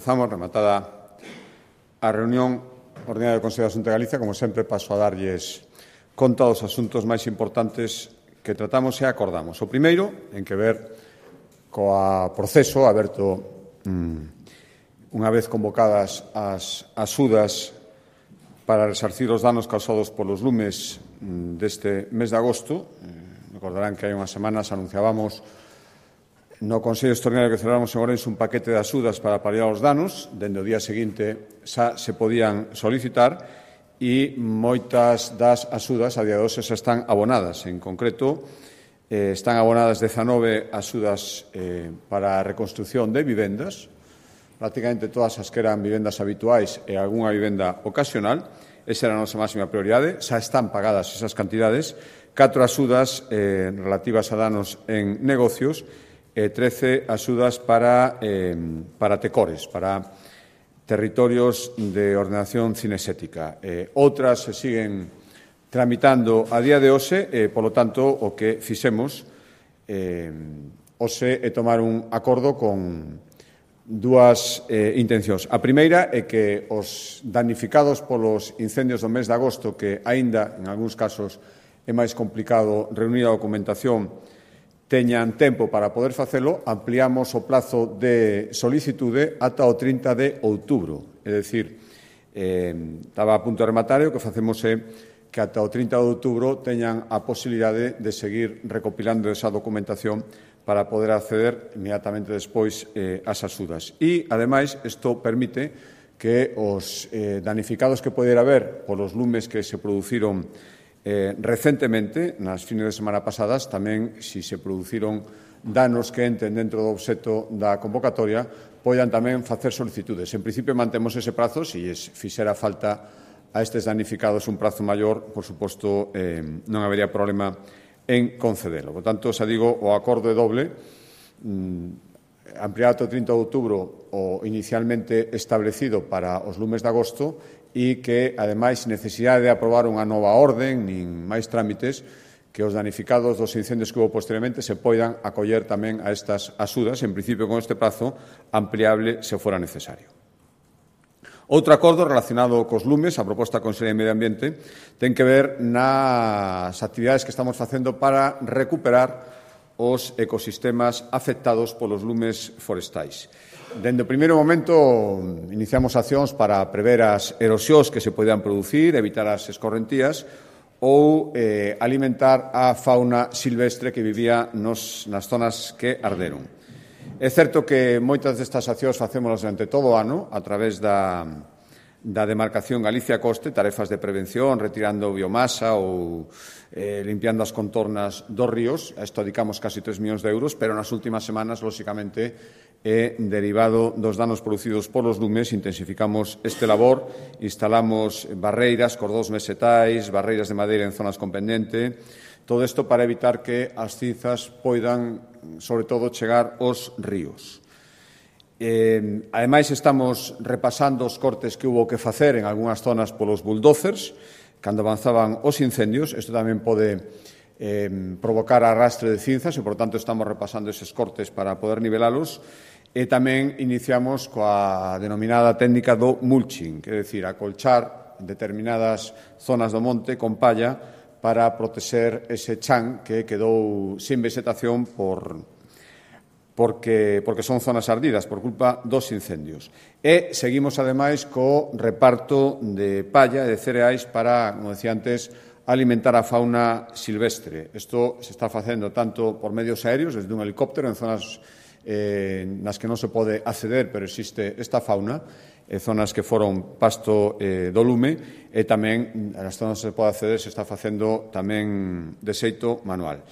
Comezamos, rematada a reunión ordinaria do Consello da Xunta de Galicia. Como sempre, paso a darlles conta dos asuntos máis importantes que tratamos e acordamos. O primeiro, en que ver coa proceso aberto unha vez convocadas as axudas para resarcir os danos causados polos lumes deste mes de agosto. Recordarán que hai unhas semanas anunciábamos no Consello Extraordinario que celebramos en Ourense un paquete de axudas para paliar os danos. Dende o día seguinte xa se podían solicitar e moitas das axudas a día de hoxe xa están abonadas. En concreto, están abonadas 19 axudas para a reconstrucción de vivendas, prácticamente todas as que eran vivendas habituais e algunha vivenda ocasional. Esa era a nosa máxima prioridade. Xa están pagadas esas cantidades. 4 axudas relativas a danos en negocios e 13 axudas para tecores, para territorios de ordenación cinexética. Outras se siguen tramitando a día de hoxe, polo tanto, o que fixemos hoxe é tomar un acordo con dúas intencións. A primeira é que os damnificados polos incendios do mes de agosto, que aínda, en algúns casos, é máis complicado reunir a documentación, teñan tempo para poder facelo. Ampliamos o plazo de solicitude ata o 30 de outubro. É dicir, estaba a punto de rematar, o que facemos é que ata o 30 de outubro teñan a posibilidade de seguir recopilando esa documentación para poder acceder inmediatamente despois ás axudas. E, ademais, isto permite que os damnificados que poder haber polos lumes que se produciron recentemente, nas fines de semana pasadas, tamén, se se produciron danos que entren dentro do obxecto da convocatoria, poidan tamén facer solicitudes. En principio, mantemos ese prazo. Se fixera falta a estes damnificados un prazo maior, por suposto, non habería problema en concedelo. Por tanto, xa digo, o acordo é doble. Ampliar ata o 30 de outubro o inicialmente establecido para os lumes de agosto e que, ademais, sin necesidade de aprobar unha nova orden nin máis trámites, que os damnificados dos incendios que houve posteriormente se poidan acoller tamén a estas axudas, en principio con este prazo ampliable se fora necesario. Outro acordo relacionado cos lumes, a proposta da Consellería de Medio Ambiente, ten que ver nas actividades que estamos facendo para recuperar os ecosistemas afectados polos lumes forestais. Dende o primeiro momento iniciamos accións para prever as erosións que se poderan producir, evitar as escorrentías ou alimentar a fauna silvestre que vivía nas zonas que arderon. É certo que moitas destas accións facémolas durante todo o ano a través da demarcación Galicia Coste, tarefas de prevención, retirando biomasa ou limpiando as contornas dos ríos. A isto dedicamos casi 3 millóns de euros, pero nas últimas semanas, lóxicamente, derivado dos danos producidos polos lumes, intensificamos este labor, instalamos barreiras, cordóns mesetais, barreiras de madeira en zonas con pendente, todo isto para evitar que as cinzas poidan, sobre todo, chegar aos ríos. Ademais, estamos repasando os cortes que hubo que facer en algunhas zonas polos bulldozers, cando avanzaban os incendios. Isto tamén pode provocar arrastre de cinzas e, por tanto, estamos repasando eses cortes para poder nivelalos. E tamén iniciamos coa denominada técnica do mulching, que é dicir, acolchar determinadas zonas do monte con palla para protexer ese chan que quedou sin vegetación porque son zonas ardidas por culpa dos incendios. E seguimos, ademais, co reparto de palla e de cereais para, como decía antes, alimentar a fauna silvestre. Isto se está facendo tanto por medios aéreos, desde un helicóptero, en zonas nas que non se pode acceder, pero existe esta fauna, zonas que foron pasto do lume, e tamén nas zonas que se pode acceder se está facendo tamén de xeito manual.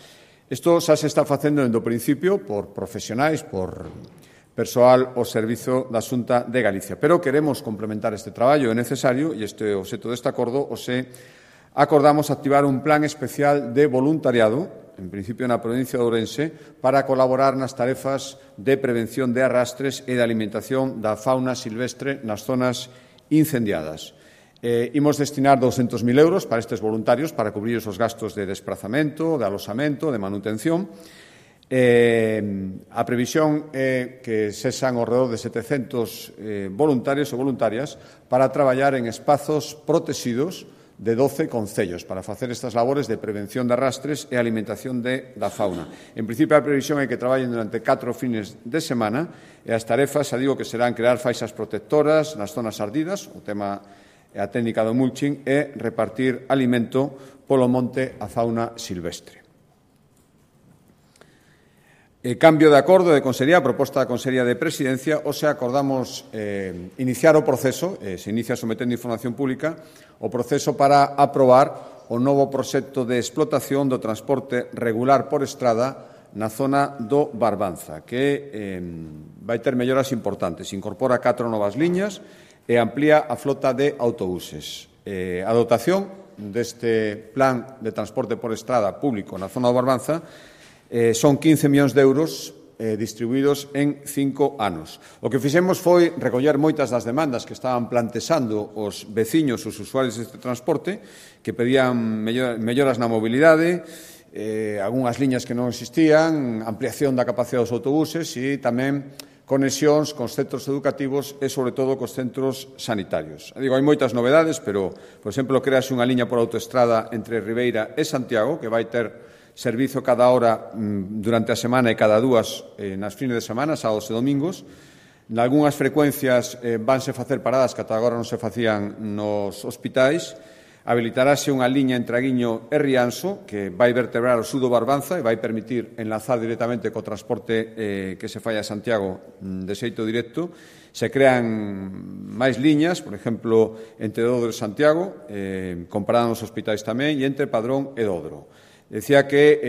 Isto xa se está facendo dende o principio por profesionais, por persoal ao servizo da Xunta de Galicia. Pero queremos complementar este traballo, é necesario, e este é o obxecto deste acordo, acordamos activar un plan especial de voluntariado, en principio na provincia de Ourense, para colaborar nas tarefas de prevención de arrastres e de alimentación da fauna silvestre nas zonas incendiadas. Imos destinar 200.000 euros para estes voluntarios para cubrir os gastos de desplazamento, de alosamento, de manutención. A previsión é que sexan ao redor de 700 voluntarios ou voluntarias para traballar en espazos protegidos de 12 concellos para facer estas labores de prevención de arrastres e alimentación da fauna. En principio, a previsión é que traballen durante 4 fines de semana e as tarefas, xa digo, que serán crear faixas protectoras nas zonas ardidas, o tema e a técnica do mulching, e repartir alimento polo monte a fauna silvestre. Cambio de acordo de Consellería, proposta da Consellería de Presidencia, hoxe acordamos iniciar o proceso, se inicia sometendo información pública, o proceso para aprobar o novo proxecto de explotación do transporte regular por estrada na zona do Barbanza, que vai ter melloras importantes. Incorpora 4 novas liñas e amplía a flota de autobuses. A dotación deste plan de transporte por estrada público na zona do Barbanza son 15 millóns de euros distribuídos en 5 anos. O que fixemos foi recoller moitas das demandas que estaban plantexando os veciños, os usuarios deste transporte, que pedían melloras na mobilidade, algunhas liñas que non existían, ampliación da capacidade dos autobuses e tamén conexións cos centros educativos e, sobre todo, cos centros sanitarios. Digo, hai moitas novedades, pero, por exemplo, crease unha liña por autoestrada entre Ribeira e Santiago, que vai ter servizo cada hora durante a semana e cada 2 nas fines de semana, sábados e domingos. Nalgúnas frecuencias vanse facer paradas que ata agora non se facían nos hospitais. Habilitarase unha liña entre Aguiño e Rianxo que vai vertebrar o sur do Barbanza e vai permitir enlazar directamente co transporte que se fai a Santiago de xeito directo. Se crean máis liñas, por exemplo, entre Dodro e Santiago, comparado nos hospitais tamén, e entre Padrón e Dodro. Decía que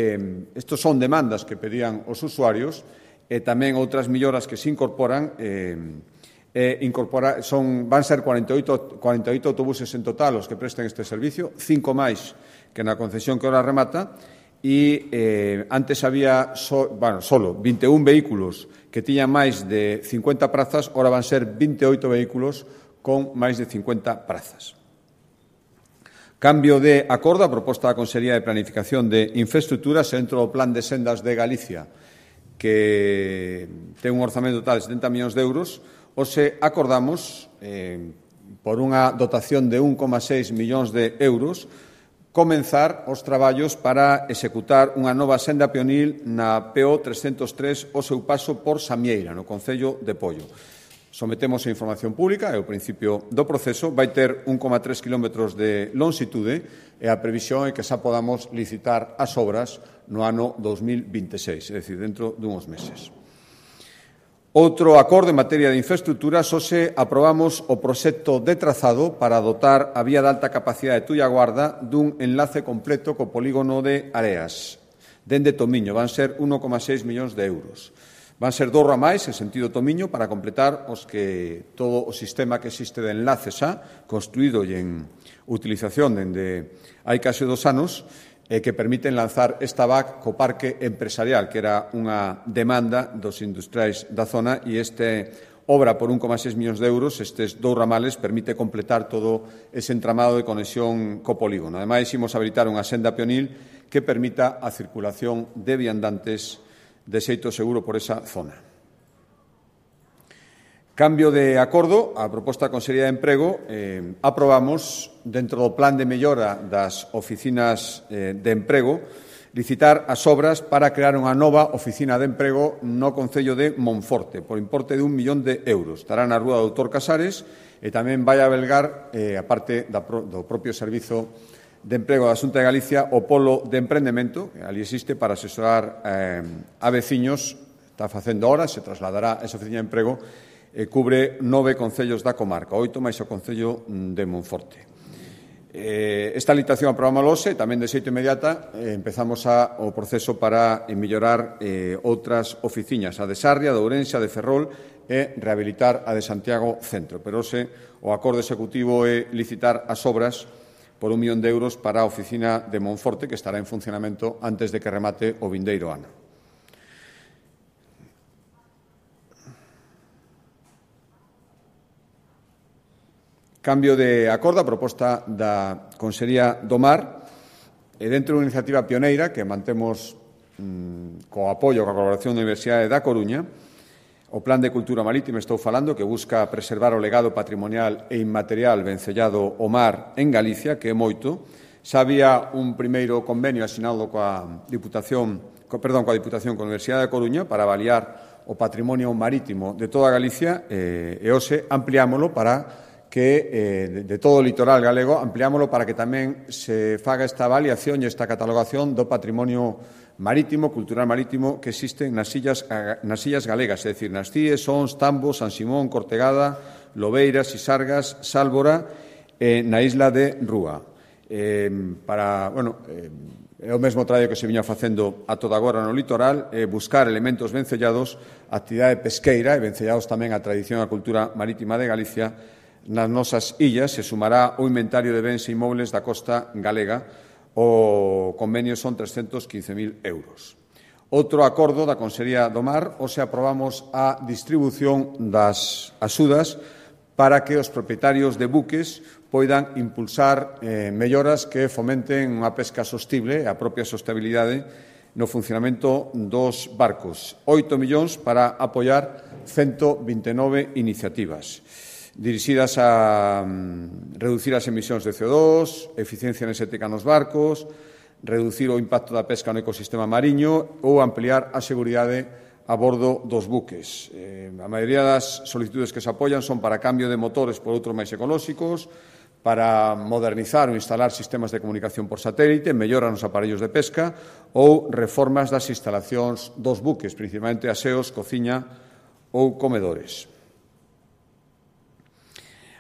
estos son demandas que pedían os usuarios e tamén outras melloras que se incorporan van ser 48 autobuses en total os que presten este servicio, 5 máis que na concesión que ahora remata e antes había solo 21 vehículos que tiñan máis de 50 prazas, ahora van ser 28 vehículos con máis de 50 prazas. Cambio de acordo a proposta da Consellería de Planificación de Infraestructuras dentro do Plan de Sendas de Galicia, que ten un orzamento total de 70 millóns de euros. Hoxe acordamos, por unha dotación de 1,6 millóns de euros, comenzar os traballos para executar unha nova senda peonil na PO 303 o seu paso por Samieira, no concello de Pollo. Sometemos a información pública e o principio do proceso vai ter 1,3 km de longitude e a previsión é que xa podamos licitar as obras no ano 2026, é dicir, dentro dunhos meses. Outro acordo en materia de infraestructuras, hoxe aprobamos o proxecto de trazado para dotar a vía de alta capacidade de Tullaguarda dun enlace completo co polígono de Areas, dende Tomiño, van ser 1,6 millóns de euros. Van ser 2 ramais en sentido Tomiño para completar todo o sistema que existe de enlaces construído e en utilización dende hai case 2 anos que permiten lanzar esta VAC co parque empresarial, que era unha demanda dos industriais da zona e obra por 1,6 millóns de euros, estes 2 ramales permite completar todo ese entramado de conexión co polígono. Ademais, imos habilitar unha senda peonil que permita a circulación de viandantes de xeito seguro por esa zona. Cambio de acordo, a proposta da Consellería de Emprego, aprobamos, dentro do plan de mellora das oficinas de emprego, licitar as obras para crear unha nova oficina de emprego no concello de Monforte, por importe de 1 millón de euros. Estará na Rúa do Doutor Casares e tamén vai albergar, a parte do propio servizo de emprego da Xunta de Galicia, o polo de emprendemento, que ali existe para asesorar a veciños, está facendo ahora, se trasladará a esa oficina de emprego, cubre 9 concellos da comarca, 8 máis o concello de Monforte. Esta licitación aprobamos hoxe, tamén de xeito inmediata, empezamos o proceso para mellorar outras oficinas, a de Sarria, de Ourense, a de Ferrol, e rehabilitar a de Santiago Centro. Pero hoxe o acordo executivo é licitar as obras por 1 millón de euros para a oficina de Monforte, que estará en funcionamento antes de que remate o vindeiro ano. Cambio de acordo a proposta da Consellería do Mar, dentro dunha iniciativa pioneira que mantemos co apoio, coa colaboración da Universidade da Coruña, o Plan de Cultura Marítima, estou falando, que busca preservar o legado patrimonial e inmaterial vencellado ao mar en Galicia, que é moito. Xa había un primeiro convenio asinado coa Diputación coa Universidade da Coruña para avaliar o patrimonio marítimo de toda Galicia e hoxe ampliámolo para que de todo o litoral galego, ampliámolo para que tamén se faga esta avaliación e esta catalogación do patrimonio marítimo, cultural marítimo, que existen nas illas galegas, é dicir, nas Cíes, Ons, Tambos, San Simón, Cortegada, Lobeiras, Sisargas, Sálvora e na isla de Rúa. É o mesmo traballo que se viña facendo a toda agora no litoral, buscar elementos vencellados, actividade pesqueira e vencellados tamén a tradición e a cultura marítima de Galicia nas nosas illas. Se sumará o inventario de bens e inmobles da costa galega. O convenio son 315.000 euros. Outro acordo da Consellería do Mar, hoxe aprobamos a distribución das axudas para que os propietarios de buques poidan impulsar melloras que fomenten unha pesca sostible e a propia sostenibilidade no funcionamento dos barcos. 8 millóns para apoiar 129 iniciativas dirixidas a reducir as emisións de CO2, eficiencia enerxética nos barcos, reducir o impacto da pesca no ecosistema mariño ou ampliar a seguridade a bordo dos buques. A maioría das solicitudes que se apoian son para cambio de motores por outros máis ecolóxicos, para modernizar ou instalar sistemas de comunicación por satélite, mellora nos aparellos de pesca ou reformas das instalacións dos buques, principalmente aseos, cociña ou comedores.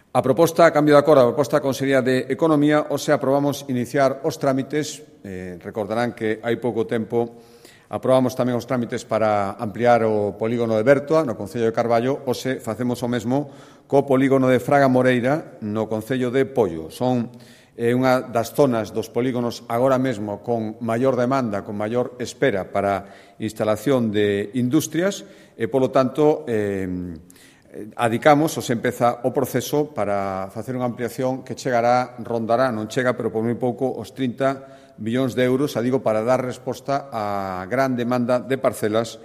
A proposta, a cambio de acordo, a proposta da Consellería de Economía, hoxe aprobamos iniciar os trámites. Recordarán que hai pouco tempo aprobamos tamén os trámites para ampliar o polígono de Bertoa, no Concello de Carballo. Hoxe facemos o mesmo co polígono de Fraga Moreira, no Concello de Pollo. Son unha das zonas dos polígonos agora mesmo con maior demanda, con maior espera para instalación de industrias e, polo tanto, adicamos, ou se empeza o proceso para facer unha ampliación que rondará, non chega, pero por moi pouco, os 30 millóns de euros, digo, para dar resposta á gran demanda de parcelas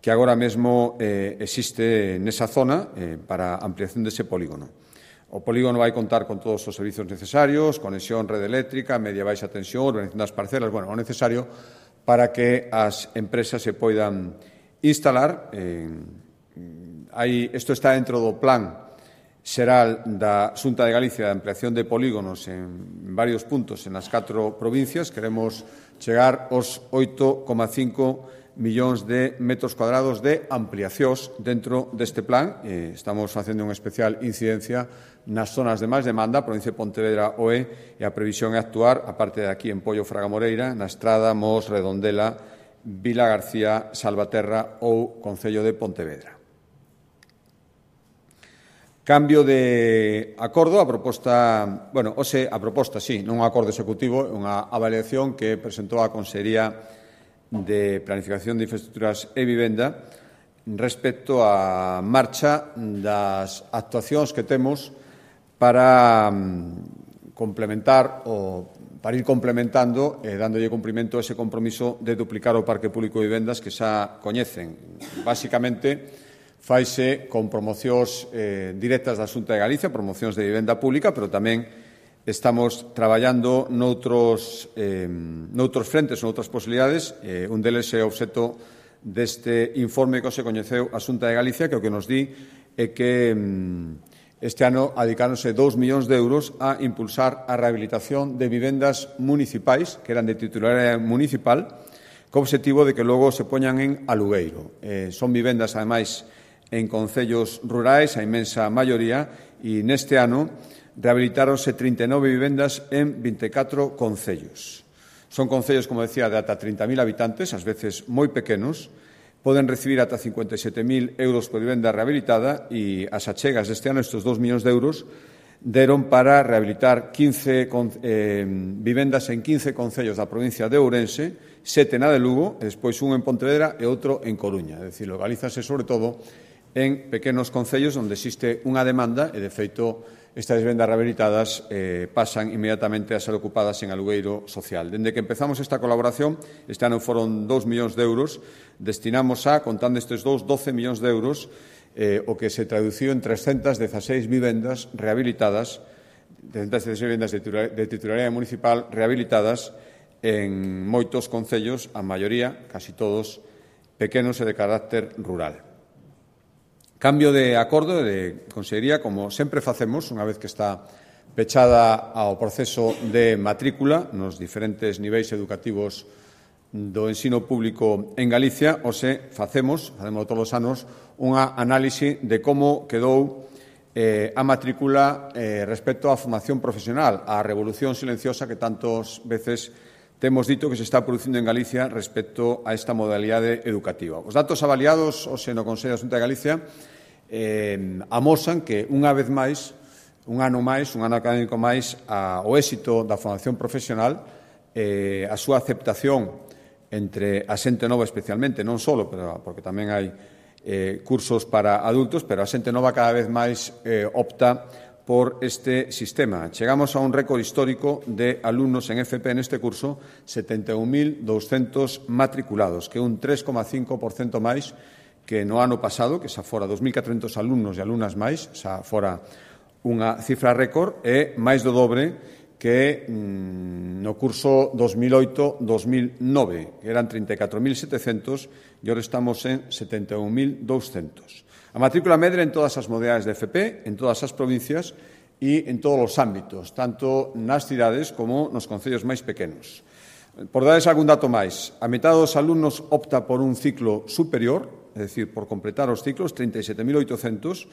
que agora mesmo existe nesa zona para a ampliación dese polígono. O polígono vai contar con todos os servizos necesarios, conexión, rede eléctrica, media e baixa tensión, organización das parcelas, o necesario para que as empresas se poidan instalar. Isto está dentro do plan xeral da Xunta de Galicia de ampliación de polígonos en varios puntos en as 4 provincias. Queremos chegar aos 8,5 millóns de metros cuadrados de ampliacións dentro deste plan. Estamos facendo unha especial incidencia nas zonas de máis demanda, a provincia de Pontevedra, OE, e a previsión é actuar, aparte de aquí en Pollo, Fraga Moreira, na Estrada, Mos, Redondela, Vila García, Salvaterra ou Concello de Pontevedra. Cambio de acordo, a proposta, non un acordo executivo, é unha avaliación que presentou a Consellería de Planificación de Infraestructuras e Vivenda respecto á marcha das actuacións que temos para complementar ou para ir complementando e dándolle cumprimento a ese compromiso de duplicar o parque público de vivendas que xa coñecen. Básicamente, faise con promocións directas da Xunta de Galicia, promocións de vivenda pública, pero tamén estamos traballando noutros frentes, noutras posibilidades. Un deles é obxecto deste informe que se coñeceu a Xunta de Galicia, que o que nos di é que este ano adicáronse 2 millóns de euros a impulsar a rehabilitación de vivendas municipais, que eran de titularidade municipal, co obxectivo de que logo se poñan en alugueiro. Son vivendas, ademais, en concellos rurais, a inmensa maioría, e neste ano rehabilitáronse 39 vivendas en 24 concellos. Son concellos, como decía, de ata 30.000 habitantes, ás veces moi pequenos, poden recibir ata 57.000 euros por vivenda rehabilitada e as achegas deste ano, estes 2 millóns de euros, deron para rehabilitar 15 vivendas en 15 concellos da provincia de Ourense, 7 na de Lugo, e despois un en Pontevedra e outro en Coruña. É dicir, localízase sobre todo en pequenos concellos onde existe unha demanda e, de feito, estas vivendas rehabilitadas pasan inmediatamente a ser ocupadas en alugueiro social. Dende que empezamos esta colaboración, este ano foron 2 millóns de euros, destinamos contando estes 12 millóns de euros, o que se traduciu en 316 vivendas rehabilitadas, 316 vivendas de titularidade municipal rehabilitadas en moitos concellos, a maioría, casi todos, pequenos e de carácter rural. Cambio de acordo de Consellería, como sempre facemos, unha vez que está pechada ao proceso de matrícula nos diferentes niveis educativos do ensino público en Galicia, facemos todos os anos, unha análise de como quedou a matrícula respecto á formación profesional, á revolución silenciosa que tantas veces temos dito que se está producindo en Galicia respecto a esta modalidade educativa. Os datos avaliados no Consello da Xunta de Galicia amosan que unha vez máis, un ano académico máis, o éxito da formación profesional, a súa aceptación entre a xente nova especialmente, non só, porque tamén hai cursos para adultos, pero a xente nova cada vez máis opta por este sistema. Chegamos a un récord histórico de alumnos en FP neste curso, 71.200 matriculados, que é un 3,5% máis que no ano pasado, que xa fora 2.400 alumnos e alumnas máis, xa fora unha cifra récord, e máis do dobre que no curso 2008-2009, que eran 34.700, e agora estamos en 71.200. A matrícula medra en todas as modalidades de FP, en todas as provincias e en todos os ámbitos, tanto nas cidades como nos concellos máis pequenos. Por darles algún dato máis, a metade dos alumnos opta por un ciclo superior, é dicir, por completar os ciclos, 37.800,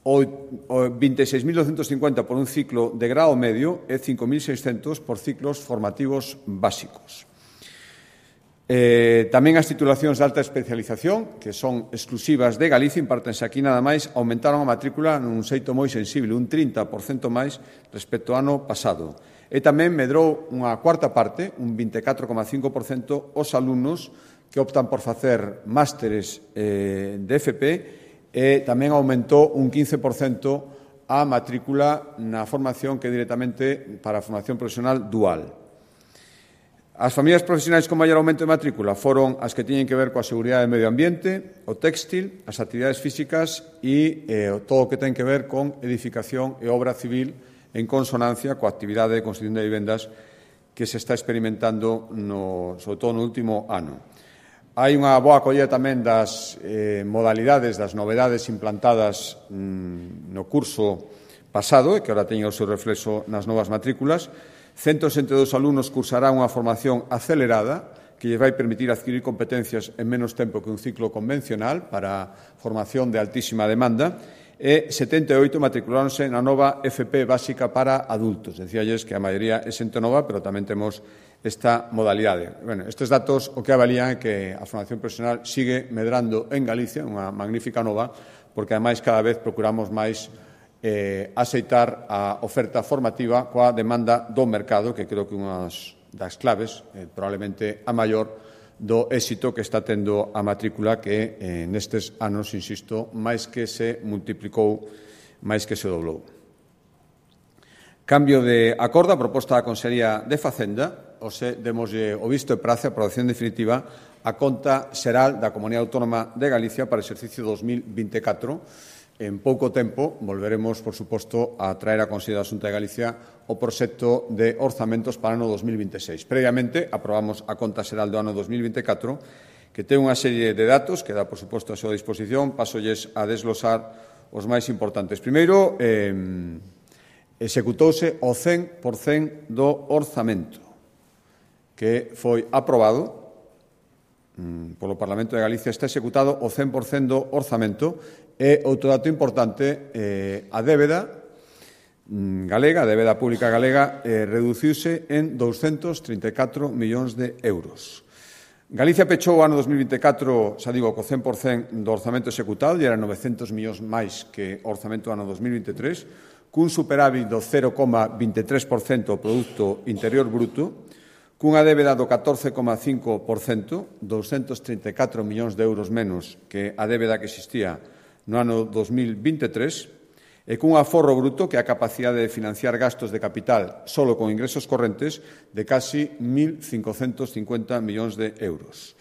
o 26.250 por un ciclo de grado medio e 5.600 por ciclos formativos básicos. Tamén as titulacións de alta especialización, que son exclusivas de Galicia, impártense aquí nada máis, aumentaron a matrícula nun xeito moi sensible, un 30% máis respecto ao ano pasado. E tamén medrou unha cuarta parte, un 24,5%, os alumnos que optan por facer másteres de FP, e tamén aumentou un 15% a matrícula na formación que é directamente para a formación profesional dual. As familias profesionais con maior aumento de matrícula foron as que tiñen que ver coa seguridade do medio ambiente, o téxtil, as actividades físicas e todo o que ten que ver con edificación e obra civil en consonancia coa actividade de construción de vivendas que se está experimentando sobre todo no último ano. Hai unha boa acollida tamén das modalidades, das novedades implantadas no curso pasado e que agora teñen o seu reflexo nas novas matrículas. 162 alumnos cursarán unha formación acelerada que lles vai permitir adquirir competencias en menos tempo que un ciclo convencional para formación de altísima demanda e 78 matriculáronse na nova FP básica para adultos. Decíalles que a maioría é xente nova, pero tamén temos esta modalidade. Estes datos o que avalían é que a formación profesional sigue medrando en Galicia, unha magnífica nova, porque ademais cada vez procuramos máis aceitar a oferta formativa coa demanda do mercado, que creo que unha das claves, probablemente a maior, do éxito que está tendo a matrícula que nestes anos, insisto, máis que se multiplicou, máis que se doblou. Cambio de acordo, a proposta da Consellería de Facenda, demoslle o visto e prace a aprobación definitiva a conta xeral da Comunidade Autónoma de Galicia para o exercicio 2024. En pouco tempo volveremos, por suposto, a traer a Consellería da Xunta de Galicia o proxecto de orzamentos para o ano 2026. Previamente, aprobamos a conta xeral do ano 2024, que ten unha serie de datos que dá, por suposto, a súa disposición. Pasolles a desglosar os máis importantes. Primeiro, executouse o 100% do orzamento que foi aprobado polo Parlamento de Galicia. Está executado o 100% do orzamento. E outro dato importante, a débeda galega, a débeda pública galega, reduciuse en 234 millóns de euros. Galicia pechou o ano 2024, xa digo, co 100% do orzamento executado, e eran 900 millóns máis que o orzamento do ano 2023, cun superávit do 0,23% do Produto Interior Bruto, cunha débeda do 14,5%, 234 millóns de euros menos que a débeda que existía no ano 2023 e cun aforro bruto que é a capacidade de financiar gastos de capital solo con ingresos correntes de casi 1.550 millóns de euros.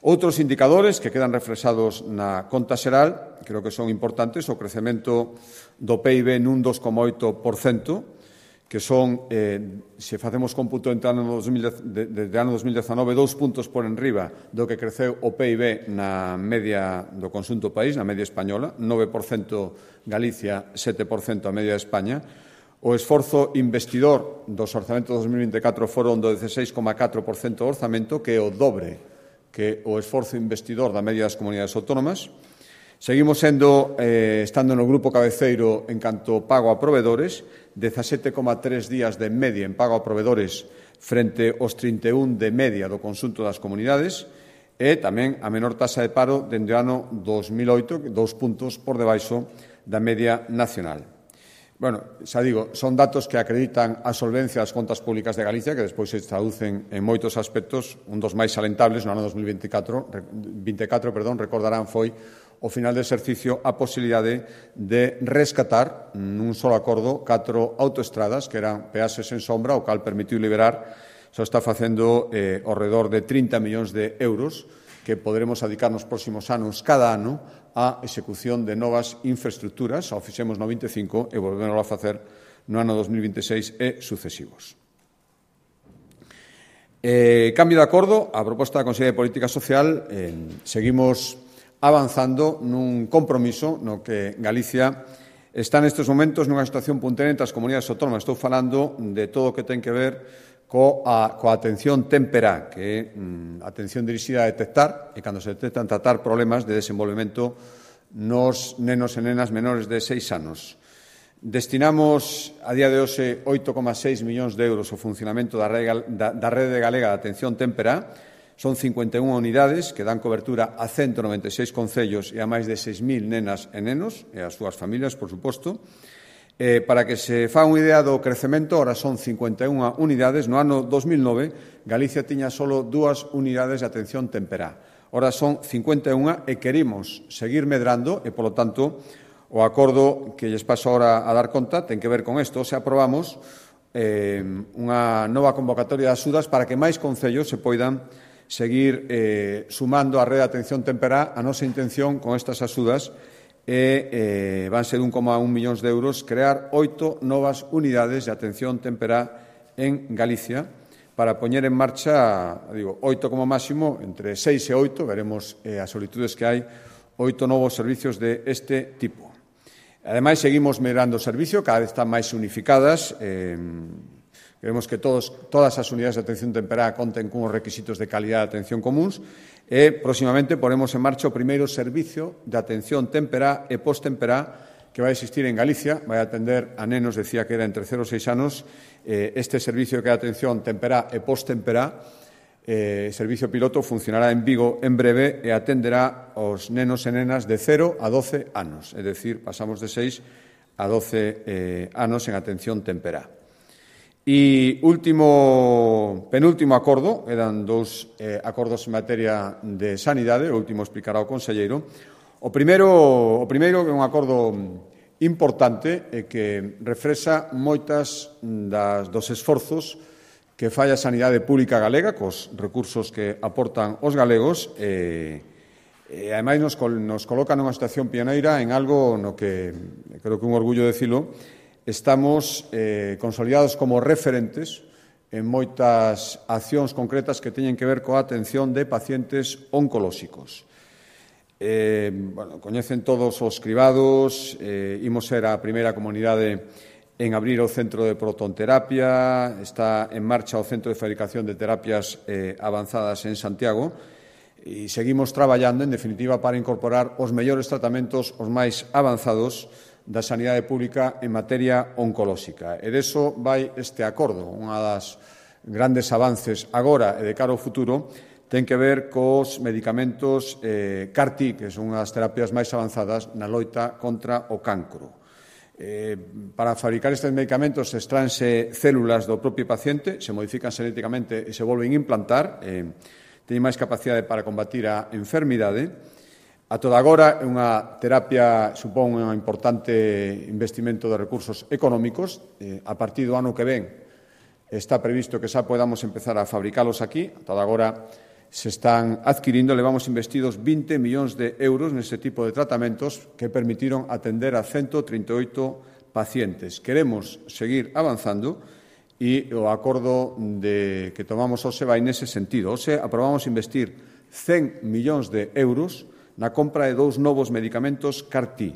Outros indicadores que quedan reflexados na conta xeral, creo que son importantes, o crecemento do PIB nun 2,8%, que son, se facemos cómputo desde ano 2019, 2 puntos por enriba do que creceu o PIB na media do conxunto do país, na media española, 9% Galicia, 7% a media de España. O esforzo investidor dos orzamentos 2024 foron do 16,4% do orzamento, que é o dobre que o esforzo investidor da media das comunidades autónomas. Seguimos estando no grupo cabeceiro en canto pago a provedores, 17,3 días de media en pago a provedores frente aos 31 de media do conxunto das comunidades e tamén a menor taxa de paro dende o ano 2008, 2 puntos por debaixo da media nacional. Bueno, xa digo, son datos que acreditan a solvencia das contas públicas de Galicia, que despois se traducen en moitos aspectos. Un dos máis salentables no ano 2024, recordarán, foi ao final do exercicio a posibilidade de rescatar nun solo acordo 4 autoestradas que eran peaxes en sombra, o cal permitiu liberar, xa está facendo ao redor de 30 millóns de euros que poderemos dedicar nos próximos anos cada ano a execución de novas infraestructuras, ao fixemos no 25 e volvemos a facer no ano 2026 e sucesivos. Cambio de acordo, a proposta da Consellería de Política Social, seguimos avanzando nun compromiso no que Galicia está nestes momentos nunha situación puntera entre as comunidades autónomas. Estou falando de todo o que ten que ver coa atención temperá, que é atención dirixida a detectar, e cando se detectan tratar problemas de desenvolvemento nos nenos e nenas menores de 6 anos. Destinamos a día de hoxe 8,6 millóns de euros ao funcionamento da rede galega de atención temperá. Son 51 unidades que dan cobertura a 196 concellos e a máis de 6.000 nenas e nenos e as súas familias, por suposto. Para que se faga unha idea do crecemento, ahora son 51 unidades. No ano 2009, Galicia tiña solo 2 unidades de atención temperá. Ahora son 51 e queremos seguir medrando e, polo tanto, o acordo que lles paso ahora a dar conta ten que ver con isto. Se aprobamos unha nova convocatoria de axudas para que máis concellos se poidan seguir sumando a rede de atención temperá. A nosa intención con estas axudas van ser 1,1 millóns de euros crear 8 novas unidades de atención temperá en Galicia para poñer en marcha, 8 como máximo, entre 6 e 8, veremos as solicitudes que hai, 8 novos servicios de este tipo. Ademais, seguimos mellorando o servicio, cada vez están máis unificadas. Queremos que todas as unidades de atención temperá conten cunhos requisitos de calidad de atención comuns e, próximamente, poremos en marcha o primeiro servicio de atención temperá e post-temperá que vai existir en Galicia. Vai atender a nenos, decía que era entre 0 e 6 anos. Este servicio que é atención temperá e post-temperá, servicio piloto, funcionará en Vigo en breve e atenderá aos nenos e nenas de 0 a 12 anos. É dicir, pasamos de 6 a 12 anos en atención temperá. E penúltimo acordo, eran 2 acordos en materia de sanidade, o último explicará o conselleiro. O primeiro é un acordo importante e que reflexa moitas dos esforzos que fai a sanidade pública galega cos recursos que aportan os galegos e ademais nos coloca nunha situación pioneira en algo no que creo que é un orgullo decilo. Estamos consolidados como referentes en moitas accións concretas que teñen que ver coa atención de pacientes oncolóxicos. Coñecen todos os cribados, imos ser a primeira comunidade en abrir o centro de protonterapia, está en marcha o centro de fabricación de terapias avanzadas en Santiago e seguimos traballando, en definitiva, para incorporar os mellores tratamentos, os máis avanzados da sanidade pública en materia oncolóxica. E deso vai este acordo. Unha das grandes avances agora e de cara ao futuro ten que ver cos medicamentos CAR-T, que son as terapias máis avanzadas na loita contra o cancro. Para fabricar estes medicamentos extranse células do propio paciente, se modifican xenéticamente e se volven a implantar, teñen máis capacidade para combatir a enfermidade. A toda agora é unha terapia, supón un importante investimento de recursos económicos. A partir do ano que ven está previsto que xa podamos empezar a fabricalos aquí. A toda agora se están adquirindo, levamos investidos 20 millóns de euros neste tipo de tratamentos que permitiron atender a 138 pacientes. Queremos seguir avanzando e o acordo que tomamos hoxe vai nese sentido. Hoxe aprobamos investir 100 millóns de euros na compra de 2 novos medicamentos CAR-T,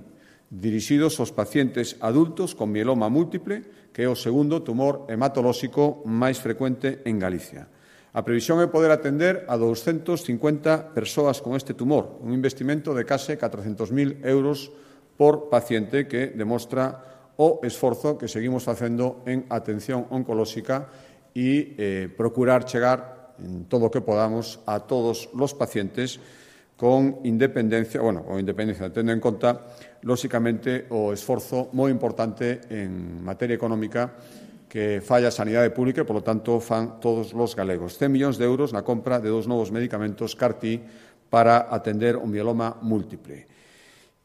dirixidos aos pacientes adultos con mieloma múltiple, que é o segundo tumor hematolóxico máis frecuente en Galicia. A previsión é poder atender a 250 persoas con este tumor, un investimento de case 400.000 euros por paciente que demostra o esforzo que seguimos facendo en atención oncolóxica e procurar chegar en todo o que podamos a todos os pacientes con independencia, tendo en conta, lóxicamente, o esforzo moi importante en materia económica que falla a sanidade pública e, polo tanto, fan todos os galegos. 100 millóns de euros na compra de 2 novos medicamentos CAR-T para atender o mieloma múltiple.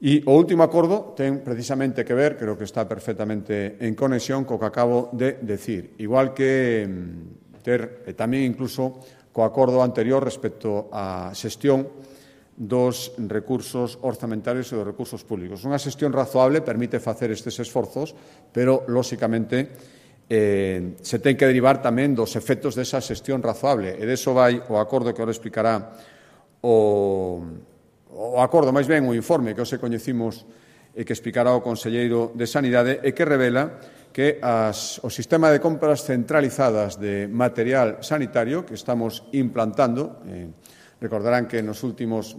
E o último acordo ten precisamente que ver, creo que está perfectamente en conexión co que acabo de decir, igual que tamén incluso co acordo anterior respecto á xestión dos recursos orzamentarios e dos recursos públicos. Unha xestión razoable permite facer estes esforzos, pero, lóxicamente, se ten que derivar tamén dos efectos desa xestión razoable. E deso vai o acordo que ahora explicará o acordo, máis ben, o informe que hoxe coñecimos e que explicará o conselleiro de Sanidade e que revela que o sistema de compras centralizadas de material sanitario que estamos implantando, recordarán que nos últimos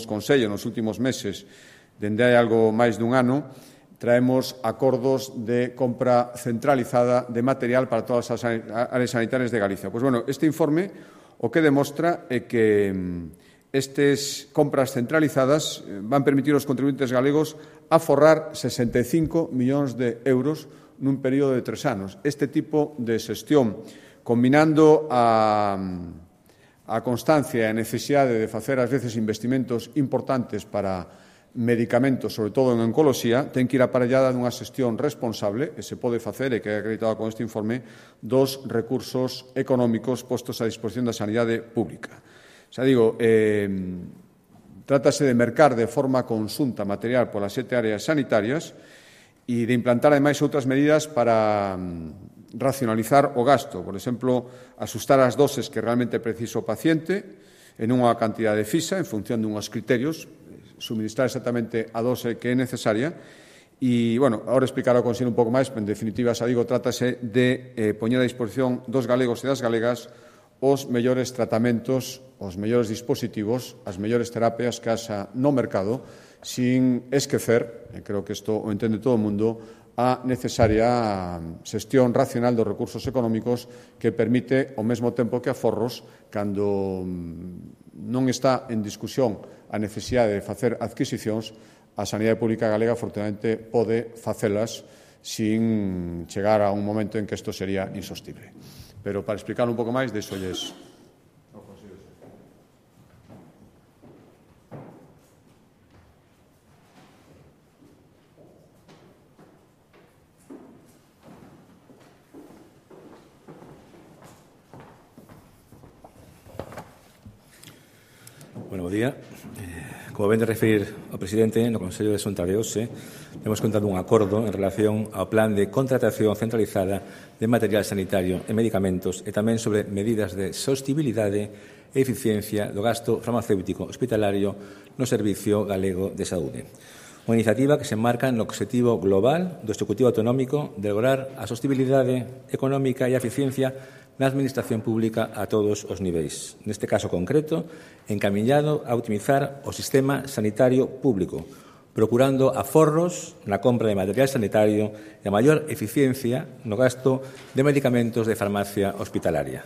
consellos, nos últimos meses, dende hai algo máis dun ano, traemos acordos de compra centralizada de material para todas as áreas sanitarias de Galicia. Pois, este informe o que demostra é que estas compras centralizadas van permitir aos contribuyentes galegos aforrar 65 millóns de euros nun período de 3 anos. Este tipo de xestión, combinando a constancia e a necesidade de facer, ás veces, investimentos importantes para medicamentos, sobre todo en oncoloxía, ten que ir aparellada dunha xestión responsable, e se pode facer, e que é acreditado con este informe, dos recursos económicos postos a disposición da sanidade pública. Xa digo, trátase de mercar de forma conxunta material polas 7 áreas sanitarias e de implantar, ademais, outras medidas para racionalizar o gasto, por exemplo, asustar as doses que realmente precisa o paciente en unha cantidade fixa, en función dunhos criterios, suministrar exactamente a dose que é necesaria e, agora explicará o Consello un pouco máis, pero en definitiva, xa digo, trátase de poñer a disposición dos galegos e das galegas os mellores tratamentos, os mellores dispositivos, as mellores terapias que haxa no mercado, sin esquecer, e creo que isto o entende todo o mundo, a necesaria xestión racional dos recursos económicos que permite, ao mesmo tempo que aforros, cando non está en discusión a necesidade de facer adquisicións, a sanidade pública galega, afortunadamente, pode facelas sin chegar a un momento en que isto sería insostible. Pero, para explicar un pouco máis, deixolles. Bueno, bo día. Como ven de referir o presidente, no Consello de Xunta de hoxe, temos contado un acordo en relación ao plan de contratación centralizada de material sanitario e medicamentos e tamén sobre medidas de sostibilidade e eficiencia do gasto farmacéutico hospitalario no Servicio Galego de Saúde. Unha iniciativa que se enmarca no objetivo global do Executivo Autonómico de lograr a sostibilidade económica e a eficiencia na administración pública a todos os niveis. Neste caso concreto, encamiñado a optimizar o sistema sanitario público, procurando aforros na compra de material sanitario e a maior eficiencia no gasto de medicamentos de farmacia hospitalaria.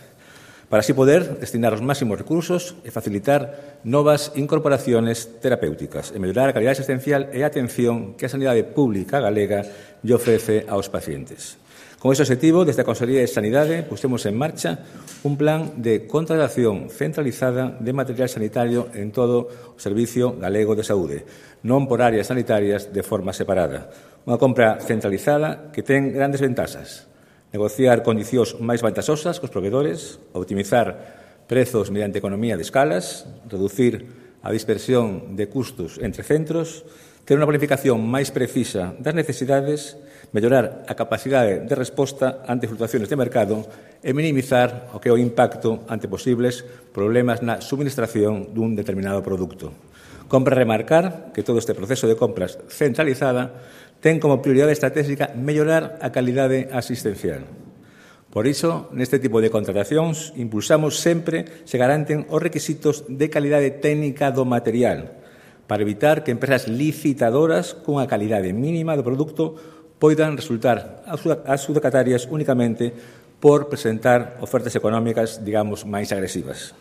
para así poder destinar os máximos recursos e facilitar novas incorporaciones terapéuticas e mellorar a calidade asistencial e a atención que a sanidade pública galega lle ofrece aos pacientes. Con ese objetivo, desde a Consellería de Sanidade, pusemos en marcha un plan de contratación centralizada de material sanitario en todo o Servicio Galego de Saúde, non por áreas sanitarias de forma separada. Unha compra centralizada que ten grandes ventaxas. Negociar condicións máis vantaxosas cos provedores, optimizar prezos mediante economía de escalas, reducir a dispersión de custos entre centros, ter unha planificación máis precisa das necesidades, mellorar a capacidade de resposta ante fluctuacións de mercado e minimizar o que é o impacto ante posibles problemas na suministración dun determinado produto. Compre remarcar que todo este proceso de compras centralizada ten como prioridade estratégica mellorar a calidade asistencial. Por iso, neste tipo de contratacións, impulsamos sempre se garanten os requisitos de calidade técnica do material, para evitar que empresas licitadoras cunha calidade mínima do produto poidan resultar adjudicatarias únicamente por presentar ofertas económicas, digamos, máis agresivas.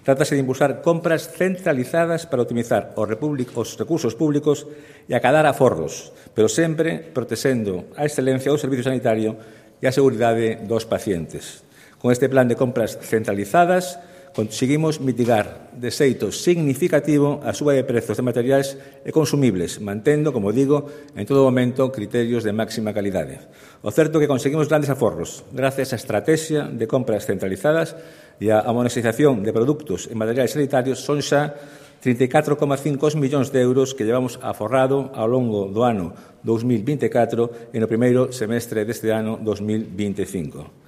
Trátase de impulsar compras centralizadas para optimizar os recursos públicos e acadar aforros, pero sempre protexendo a excelencia do servicio sanitario e a seguridade dos pacientes. Con este plan de compras centralizadas, conseguimos mitigar de xeito significativo a suba de prezos de materiais e consumibles, mantendo, como digo, en todo momento criterios de máxima calidade. O certo é que conseguimos grandes aforros gracias á estrategia de compras centralizadas e a monetización de produtos e materiais sanitarios son xa 34,5 millóns de euros que llevamos aforrado ao longo do ano 2024 e no primeiro semestre deste ano 2025.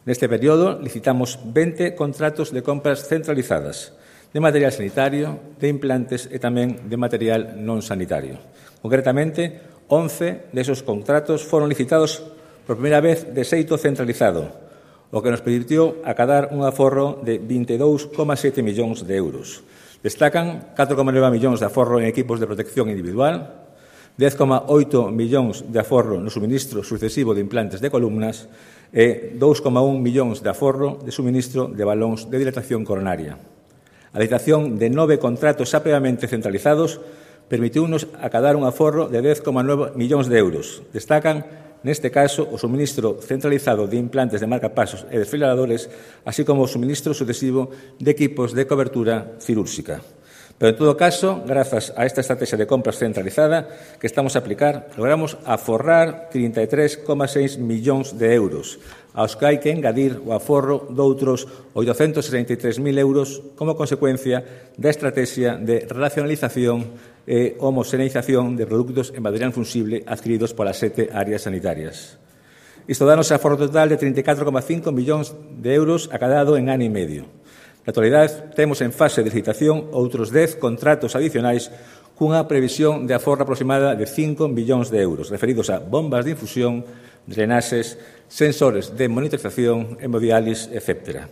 Neste período licitamos 20 contratos de compras centralizadas de material sanitario, de implantes e tamén de material non sanitario. Concretamente, 11 desos contratos foron licitados por primeira vez de xeito centralizado, o que nos permitiu acadar un aforro de 22,7 millóns de euros. Destacan 4,9 millóns de aforro en equipos de protección individual, 10,8 millóns de aforro no suministro sucesivo de implantes de columnas e 2,1 millóns de aforro de suministro de balóns de dilatación coronaria. A licitación de 9 contratos xa previamente centralizados permitiunos acadar un aforro de 10,9 millóns de euros. Destacan neste caso, o suministro centralizado de implantes de marcapasos e desfibriladores, así como o suministro sucesivo de equipos de cobertura cirúrxica. Pero, en todo caso, grazas a esta estrategia de compras centralizada que estamos a aplicar, logramos aforrar 33,6 millóns de euros, aos que hai que engadir o aforro doutros 863.000 euros como consecuencia da estrategia de racionalización e homoxeneización de produtos en material fungible adquiridos polas 7 áreas sanitarias. Isto danos a aforro total de 34,5 millóns de euros acadado en ano e medio. Na actualidade, temos en fase de licitación outros 10 contratos adicionais cunha previsión de aforro aproximada de 5 millóns de euros, referidos a bombas de infusión, drenaxes, sensores de monitorización, hemodiális, etc.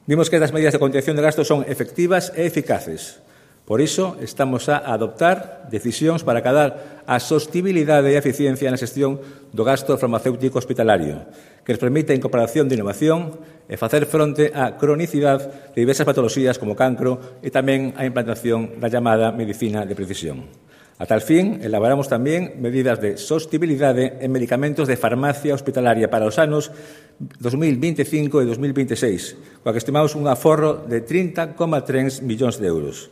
Vimos que estas medidas de contención de gastos son efectivas e eficaces. Por iso, estamos a adoptar decisións para acadar a sostibilidade e a eficiencia na xestión do gasto farmacéutico hospitalario, que nos permite a incorporación de innovación e facer fronte á cronicidade de diversas patoloxías como cancro e tamén a implantación da chamada medicina de precisión. A tal fin, elaboramos tamén medidas de sostibilidade en medicamentos de farmacia hospitalaria para os anos 2025 e 2026, coa que estimamos un aforro de 30,3 millóns de euros.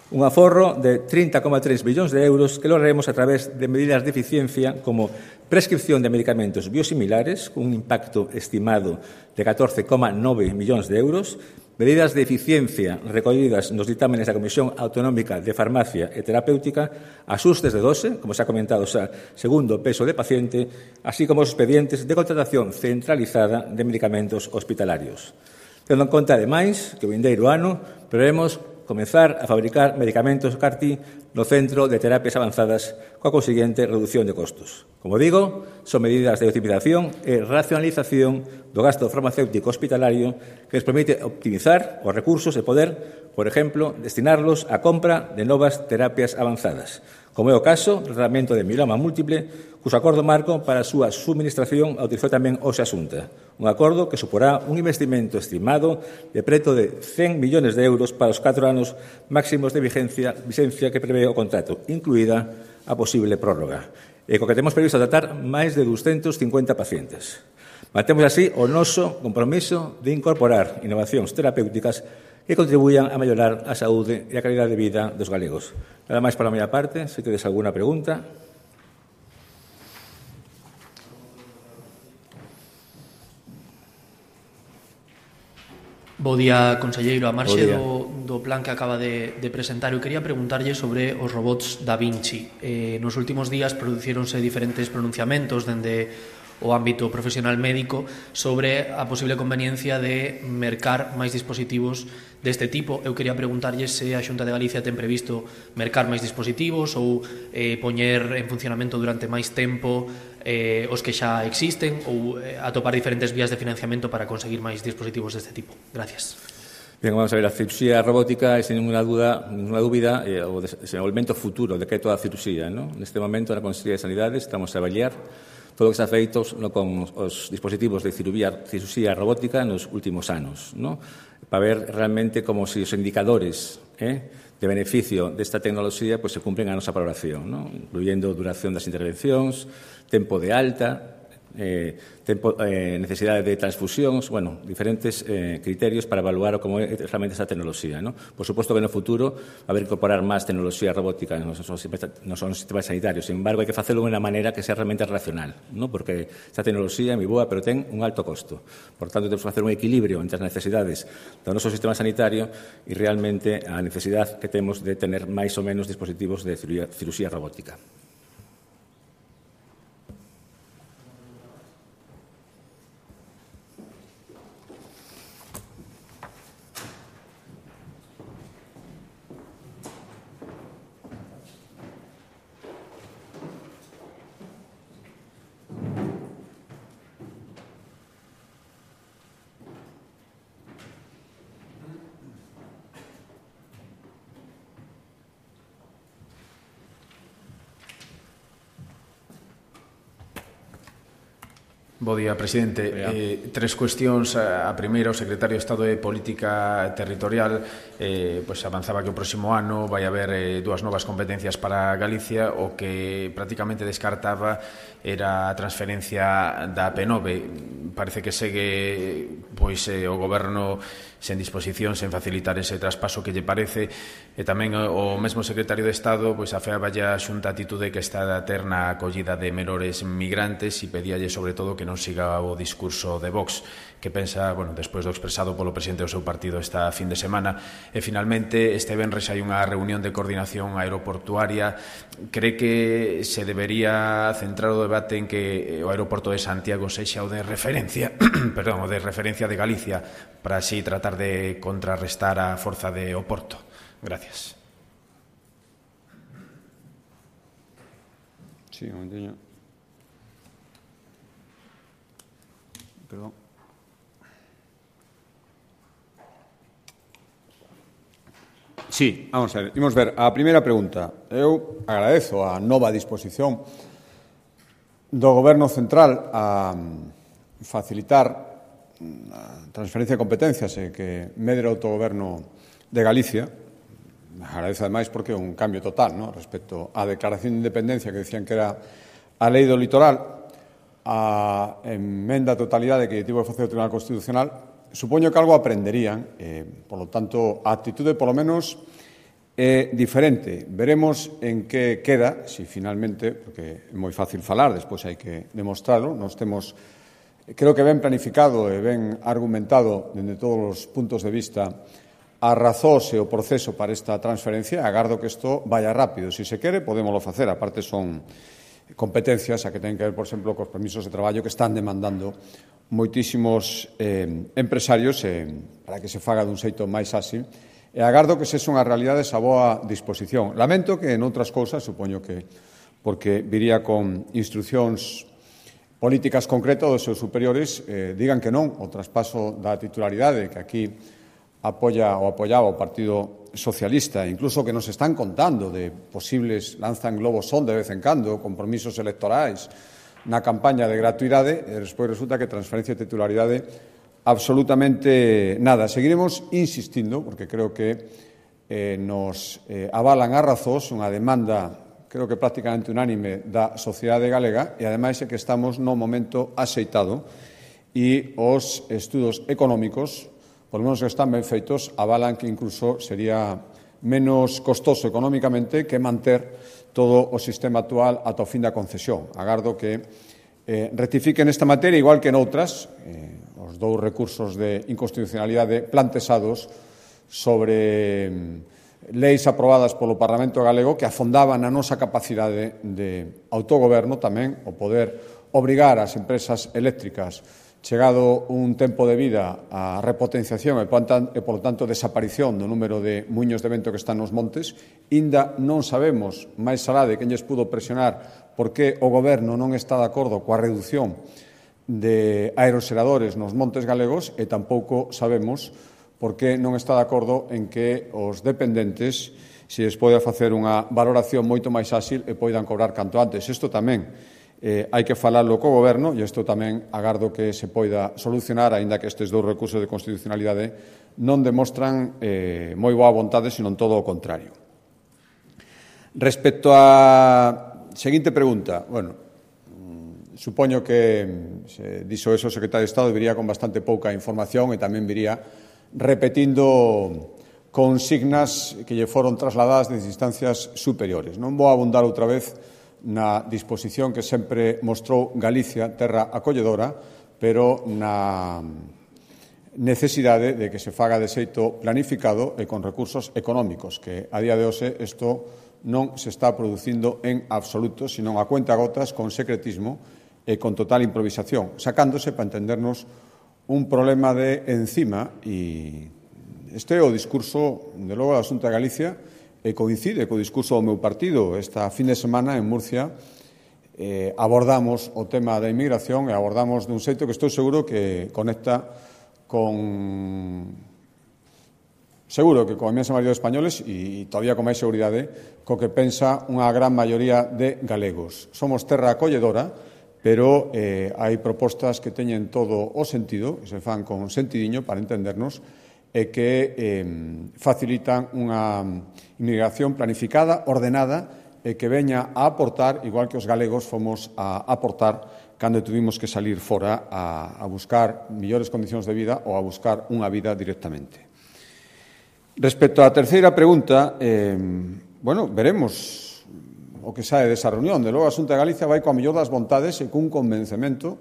Un aforro de 30,3 millóns de euros que lograremos a través de medidas de eficiencia como prescripción de medicamentos biosimilares, con un impacto estimado de 14,9 millóns de euros, medidas de eficiencia recollidas nos ditámenes da Comisión Autonómica de Farmacia e Terapéutica, axustes de dose, como se ha comentado xa, segundo o peso de paciente, así como os expedientes de contratación centralizada de medicamentos hospitalarios. Tendo en conta, ademais, que o vindeiro ano prevemos comezar a fabricar medicamentos CAR-T no Centro de Terapias Avanzadas coa consiguiente reducción de costos. Como digo, son medidas de optimización e racionalización do gasto farmacéutico hospitalario que nos permite optimizar os recursos e poder, por exemplo, destinarlos á compra de novas terapias avanzadas, como é o caso do tratamento de mieloma múltiple, cuso acordo marco para a súa subministración autorizou tamén hoxe a Xunta. Un acordo que suporá un investimento estimado de preto de 100 millóns de euros para os 4 anos máximos de vigencia que prevé o contrato, incluída a posible prórroga, e co que temos previsto tratar máis de 250 pacientes. Mantemos así o noso compromiso de incorporar innovacións terapéuticas que contribuyan a mellorar a saúde e a calidade de vida dos galegos. Nada máis pola miña parte, se tedes alguna pregunta. Bo día, conselleiro. A marxe do plan que acaba de presentar, eu quería preguntarlle sobre os robots Da Vinci. Nos últimos días producíronse diferentes pronunciamentos dende o ámbito profesional médico sobre a posible conveniencia de mercar máis dispositivos deste tipo. Eu quería preguntarlle se a Xunta de Galicia ten previsto mercar máis dispositivos ou poñer en funcionamento durante máis tempo os que xa existen ou atopar diferentes vías de financiamento para conseguir máis dispositivos deste tipo. Gracias. Bien, vamos a ver, a cirurxía robótica é, sin ninguna dúbida, o desenvolvemento futuro de que é toda a cirurxía, ¿no? Neste momento, na Consellería de Sanidade, estamos a avaliar todo o que está feito con os dispositivos de cirurxía robótica nos últimos anos, ¿no? Para ver realmente como se os indicadores de beneficio desta tecnoloxía se cumplen a nosa valoración, ¿no? Incluyendo duración das intervencións, tempo de alta, necesidade de transfusións, diferentes criterios para evaluar como é realmente esa tecnoloxía, ¿no? Por suposto que no futuro va a haber que incorporar máis tecnoloxía robótica nos sistemas sanitarios. Sin embargo, hai que facelo de unha maneira que sea realmente racional, ¿no? Porque esta tecnoloxía é moi boa, pero ten un alto costo. Por tanto, temos que facer un equilibrio entre as necesidades do noso sistema sanitario e realmente a necesidade que temos de tener máis ou menos dispositivos de cirurxía robótica. Bo día, presidente. Tres cuestións. A primeira, o secretario de Estado de Política Territorial avanzaba que o próximo ano vai haber 2 novas competencias para Galicia. O que prácticamente descartaba era a transferencia da P9. Parece que segue o Goberno sen disposición, sen facilitar ese traspaso que lle parece, e tamén o mesmo secretario de Estado afeaba a Xunta a atitude que está a ter na acollida de menores migrantes e pedíalle sobre todo que non siga o discurso de Vox, que pensa, despois do expresado polo presidente do seu partido esta fin de semana. E finalmente, este venres hai unha reunión de coordinación aeroportuaria. Cree que se debería centrar o debate en que o aeroporto de Santiago sexa o de referencia o de referencia de Galicia, para así tratar de contrarrestar a forza de Oporto. Gracias. Sí, un momentinho. Perdón. Sí, vamos a ver. Imos ver a primeira pregunta. Eu agradezo a nova disposición do Goberno Central a facilitar a transferencia de competencias e que medre o autogoberno de Galicia. Agradezo ademais porque é un cambio total, ¿no?, respecto á declaración de independencia que decían que era a lei do litoral, a emenda a totalidade que tivo que facer o Tribunal Constitucional. Supoño que algo aprenderían, por lo tanto, a actitude, polo menos, é diferente. Veremos en que queda, se finalmente, porque é moi fácil falar, despois hai que demostrarlo. Nos temos, creo que ben planificado e ben argumentado dende todos os puntos de vista as razóns e o proceso para esta transferencia. Agardo que isto vaya rápido. Se se quere, podémoslo facer. A parte son competencias a que ten que ver, por exemplo, cos permisos de traballo que están demandando moitísimos empresarios para que se faga dun xeito máis áxil. E agardo que se unha realidade esa boa disposición. Lamento que en outras cousas, supoño que porque viría con instruccións políticas concretas dos seus superiores, digan que non o traspaso da titularidade, que aquí apoyaba o Partido Socialista, incluso que nos están contando de posibles, lanzan globos son de vez en cando, compromisos electorais na campaña de gratuidade, e despois resulta que transferencia de titularidade absolutamente nada. Seguiremos insistindo, porque creo que nos avalan a razóns unha demanda creo que prácticamente unánime da sociedade galega, e ademais é que estamos no momento axeitado e os estudos económicos, por lo menos que están ben feitos, avalan que incluso sería menos costoso económicamente que manter todo o sistema actual ata o fin da concesión. Agardo que rectifiquen esta materia, igual que noutras, os dous recursos de inconstitucionalidade planteados sobre leis aprobadas polo Parlamento galego que afondaban a nosa capacidade de autogoberno, tamén o poder obrigar ás empresas eléctricas, chegado un tempo de vida a repotenciación e, polo tanto, desaparición do número de muiños de vento que están nos montes. Inda non sabemos, máis alá de quen lles pudo presionar, por que o goberno non está de acordo coa reducción de aeroxeradores nos montes galegos, e tampouco sabemos porque non está de acordo en que os dependentes se lles pode facer unha valoración moito máis áxil e poidan cobrar canto antes. Isto tamén hai que falarlo co Goberno, e isto tamén agardo que se poida solucionar, aínda que estes dous recursos de constitucionalidade non demostran moi boa vontade, senón todo o contrario. Respecto á seguinte pregunta, supoño que se dixo eso o secretario de Estado viría con bastante pouca información e tamén viría repetindo consignas que lle foron trasladadas desde instancias superiores. Non vou abundar outra vez na disposición que sempre mostrou Galicia, terra acolledora, pero na necesidade de que se faga de xeito planificado e con recursos económicos, que a día de hoxe isto non se está producindo en absoluto, sino a cuentagotas, con secretismo e con total improvisación, sacándose, para entendernos, un problema de encima, e este é o discurso, de logo, da Xunta de Galicia, e coincide co discurso do meu partido. Esta fin de semana, en Murcia, abordamos o tema da inmigración e abordamos dun xeito que estou seguro que conecta con a inmensa maioría de españoles e todavía con máis seguridade co que pensa unha gran maioría de galegos. Somos terra acolledora, pero hai propostas que teñen todo o sentido, que se fan con sentidiño para entendernos, e que facilitan unha inmigración planificada, ordenada, e que veña a aportar, igual que os galegos fomos a aportar cando tuvimos que salir fora a buscar mellores condicións de vida ou a buscar unha vida directamente. Respecto á terceira pregunta, veremos o que sae desa reunión. De logo, a Xunta de Galicia vai coa mellor das vontades e cun convencemento,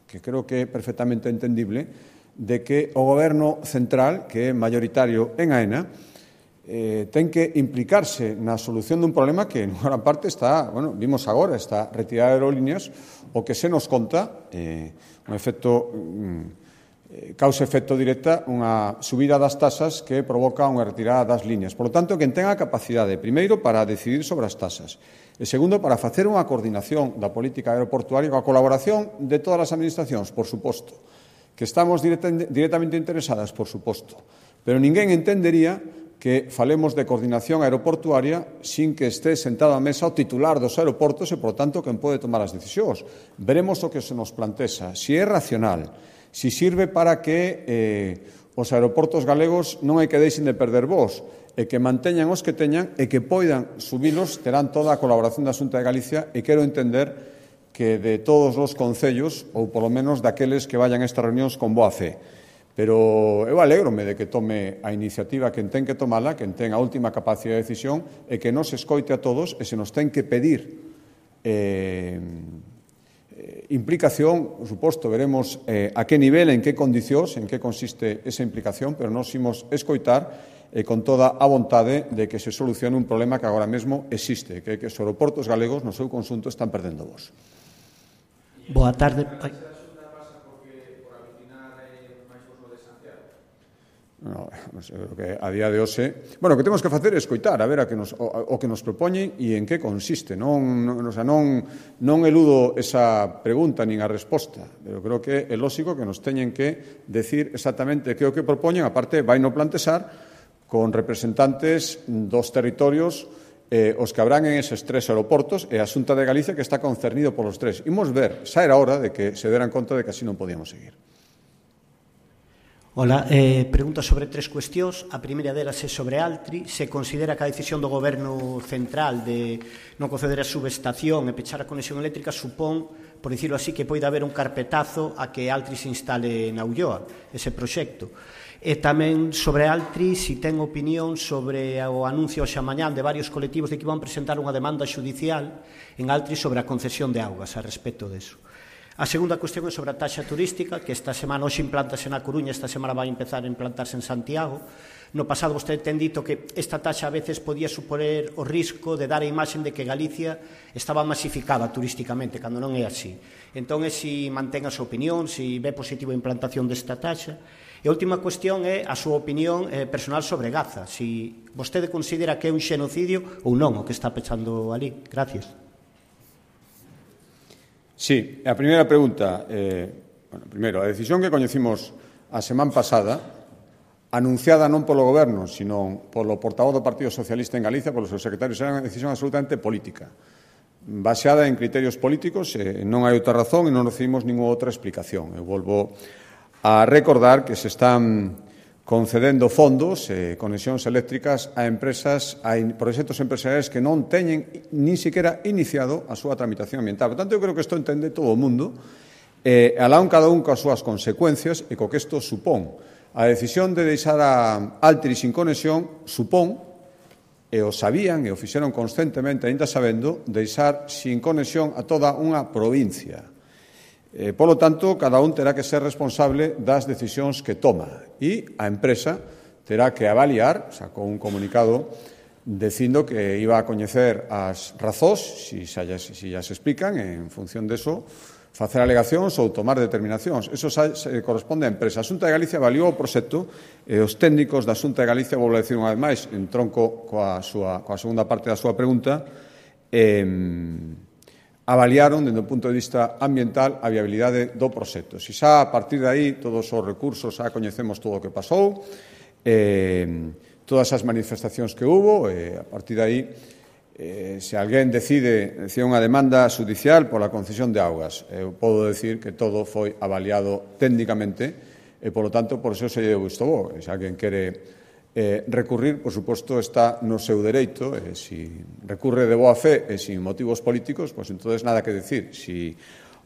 que creo que é perfectamente entendible, de que o Goberno central, que é maioritario en AENA, ten que implicarse na solución dun problema que, en gran parte, está, vimos agora, esta retirada de aerolíneas, o que se nos conta, un efecto causa efecto directa unha subida das tasas que provoca unha retirada das líneas. Por lo tanto, quen tenga a capacidade, primeiro, para decidir sobre as tasas, e segundo, para facer unha coordinación da política aeroportuaria coa colaboración de todas as administracións, por suposto, que estamos directamente interesadas, por suposto, pero ninguén entendería que falemos de coordinación aeroportuaria sin que este sentado á mesa o titular dos aeroportos e, por tanto, quen pode tomar as decisións. Veremos o que se nos plantexa, se é racional, si sirve para que os aeroportos galegos non hai que deixen de perder voos e que manteñan os que teñan e que poidan subilos, terán toda a colaboración da Xunta de Galicia, e quero entender que de todos os concellos, ou polo menos daqueles que vayan a estas reunións con boa fe. Pero eu alégrome de que tome a iniciativa quen ten que tomala, quen ten a última capacidade de decisión, e que nos escoite a todos e se nos ten que pedir implicación, por suposto, veremos a que nivel, en que condicións, en que consiste esa implicación, pero nos imos escoitar con toda a vontade de que se solucione un problema que agora mesmo existe, que é que os aeroportos galegos no seu conxunto están perdendo voos. Boa tarde. que a día de hoxe, bueno, o que temos que facer é escoitar, a ver o que nos propoñen e en que consiste. Non eludo esa pregunta nin a resposta, pero creo que é lógico que nos teñen que decir exactamente que é o que propoñen, aparte vai no plantexar con representantes dos territorios os que habrán en eses 3 aeroportos e a Xunta de Galicia que está concernido polos 3. Imos ver, xa era hora de que se deran conta de que así non podíamos seguir. Hola, pregunta sobre 3 cuestións. A primeira delas é sobre Altri. Se considera que a decisión do Goberno central de non conceder a subestación e pechar a conexión eléctrica supón, por dicirlo así, que poida haber un carpetazo a que Altri se instale na Ulloa, ese proxecto. E tamén sobre Altri, si ten opinión sobre o anuncio xa mañán de varios colectivos de que van presentar unha demanda xudicial en Altri sobre a concesión de augas a respecto deso. A segunda cuestión é sobre a taxa turística, que esta semana hoxe implantase na Coruña, esta semana vai empezar a implantarse en Santiago. No pasado vostede ten dito que esta taxa a veces podía suponer o risco de dar a imaxen de que Galicia estaba masificada turísticamente, cando non é así. Entón, se mantén a súa opinión, se ve positivo a implantación desta taxa. E a última cuestión é a súa opinión personal sobre Gaza, se vostede considera que é un xenocidio ou non o que está pechando ali. Gracias. Sí, a primeira pregunta, primeiro, a decisión que coñecimos a semana pasada, anunciada non polo Goberno, sino polo portavoz do Partido Socialista en Galicia, polo seu secretario, era unha decisión absolutamente política, baseada en criterios políticos, non hai outra razón e non recibimos ninguna outra explicación. Eu volvo a recordar que se están concedendo fondos, conexións eléctricas a empresas, a proxectos empresariais que non teñen nin siquiera iniciado a súa tramitación ambiental. Por tanto, eu creo que isto entende todo o mundo, alá cada un coas súas consecuencias e co que isto supón. A decisión de deixar a Altri sin conexión supón, e o sabían e o fixeron conscientemente, aínda sabendo, deixar sin conexión a toda unha provincia. Polo tanto, cada un terá que ser responsable das decisións que toma e a empresa terá que avaliar, sacou un comunicado dicindo que iba a coñecer as razóns, si as explican, en función deso, facer alegacións ou tomar determinacións. Eso se corresponde á empresa. A Xunta de Galicia avaliou o proxecto e os técnicos da Xunta de Galicia, vou decir unha vez máis, en tronco coa segunda parte da súa pregunta, avaliaron, dende o punto de vista ambiental, a viabilidade do proxecto. Se xa a partir de aí todos os recursos, xa coñecemos todo o que pasou, todas as manifestacións que hubo, a partir de aí, se alguén decide unha demanda judicial pola concesión de augas, eu podo decir que todo foi avaliado técnicamente e, polo tanto, por iso se lle deu visto bo. Se alguén quere recurrir, por suposto, está no seu dereito, e se recurre de boa fe e sin motivos políticos, pois entonces nada que decir. Se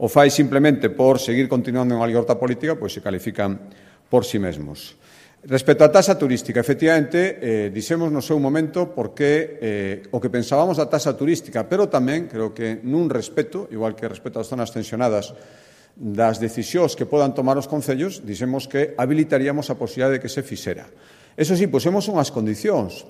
o fai simplemente por seguir continuando unha libertad política, pois se califican por si mesmos. Respecto á taxa turística, efectivamente, dixemos no seu momento porque o que pensábamos da taxa turística, pero tamén, creo que nun respeto, igual que respecto ás zonas tensionadas, das decisións que podan tomar os concellos, dixemos que habilitaríamos a posibilidade de que se fixera. Eso sí, pusemos unhas condicións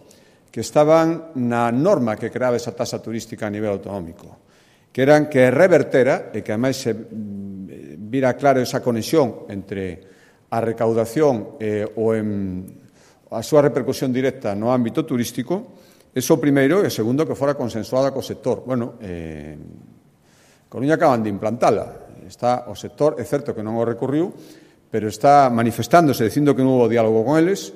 que estaban na norma que creaba esa taxa turística a nivel autonómico, que eran que revertera, e que ademais se vira claro esa conexión entre a recaudación ou a súa repercusión directa no ámbito turístico, eso primeiro, e segundo, que fora consensuada co sector. Bueno, Coruña acaban de implantala. Está o sector, é certo que non o recurriu, pero está manifestándose, dicindo que non houve diálogo con eles,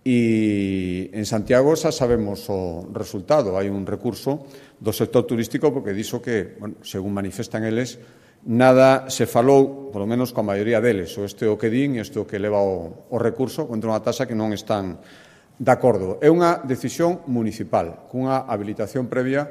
e en Santiago xa sabemos o resultado. Hai un recurso do sector turístico porque dixo que, bueno, según manifestan eles, nada se falou, polo menos coa maioría deles, o este o que din e este o que leva o recurso contra unha taxa que non están de acordo. É unha decisión municipal, cunha habilitación previa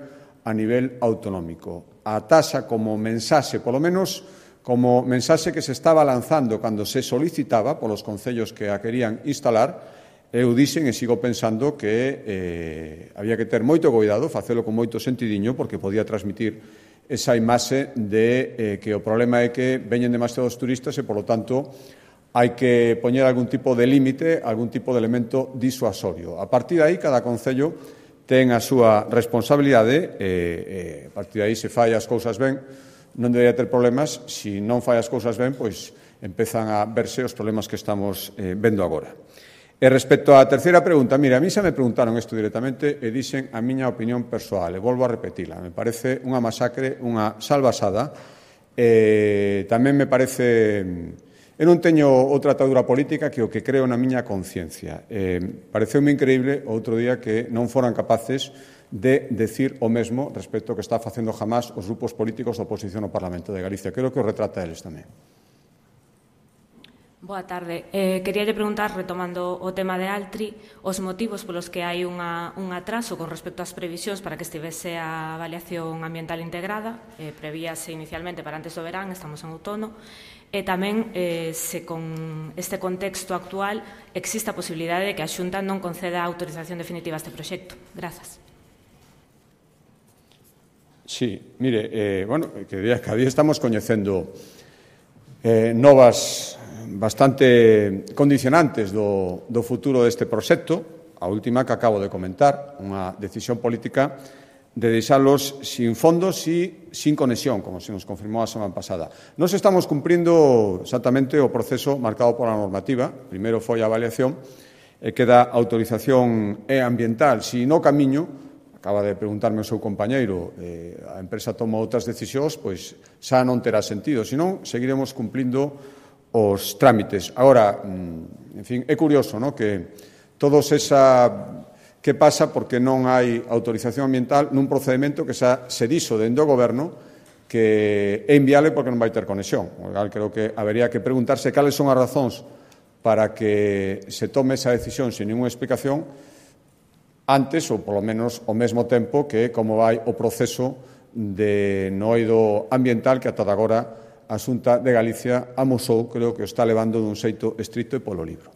a nivel autonómico. A taxa como mensaxe, polo menos como mensaxe que se estaba lanzando cando se solicitaba polos concellos que a querían instalar, eu dixen e sigo pensando que había que ter moito cuidado, facelo con moito sentidiño, porque podía transmitir esa imaxe de que o problema é que veñen demasiados turistas e, polo tanto, hai que poñer algún tipo de límite, algún tipo de elemento disuasorio. A partir de aí, cada concello ten a súa responsabilidade e a partir de aí, se fai as cousas ben, non debería ter problemas. Se non fai as cousas ben, pois empezan a verse os problemas que estamos vendo agora. E respecto á terceira pregunta, mira, a mí xa me preguntaron isto directamente e dixen a miña opinión persoal, e volvo a repetila. Me parece unha masacre, unha salvasada. Tamén me parece... Eu non teño outra atadura política que o que creo na miña conciencia. Pareceume increíble outro día que non foran capaces de decir o mesmo respecto ao que está facendo jamás os grupos políticos da oposición ao Parlamento de Galicia. Creo que o retrata eles tamén. Boa tarde. Queríalle preguntar, retomando o tema de Altri, os motivos polos que hai un atraso con respecto ás previsións para que estivese a avaliación ambiental integrada, prevíase inicialmente para antes do verán, estamos en outono, e tamén se con este contexto actual existe a posibilidade de que a Xunta non conceda a autorización definitiva a este proxecto. Grazas. Sí, mire, que cada día estamos coñecendo novas bastante condicionantes do futuro deste proxecto. A última que acabo de comentar, unha decisión política de deixalos sin fondos e sin conexión, como se nos confirmou a semana pasada. Nos estamos cumprindo exactamente o proceso marcado pola normativa. Primeiro foi a avaliación e queda autorización ambiental. Si no camiño, acaba de preguntarme o seu compañeiro, a empresa toma outras decisións, pois xa non terá sentido. Senón, seguiremos cumplindo os trámites. Agora, en fin, é curioso, ¿no?, que todos esa... que pasa porque non hai autorización ambiental nun procedimento que xa se dixo dende o Goberno que é inviable porque non vai ter conexión. Creo que habería que preguntarse cales son as razóns para que se tome esa decisión sin ninguna explicación antes ou, polo menos, ao mesmo tempo que como vai o proceso de no eido ambiental que ata agora a Xunta de Galicia amosou, creo que o está levando dun xeito estricto e polo libro.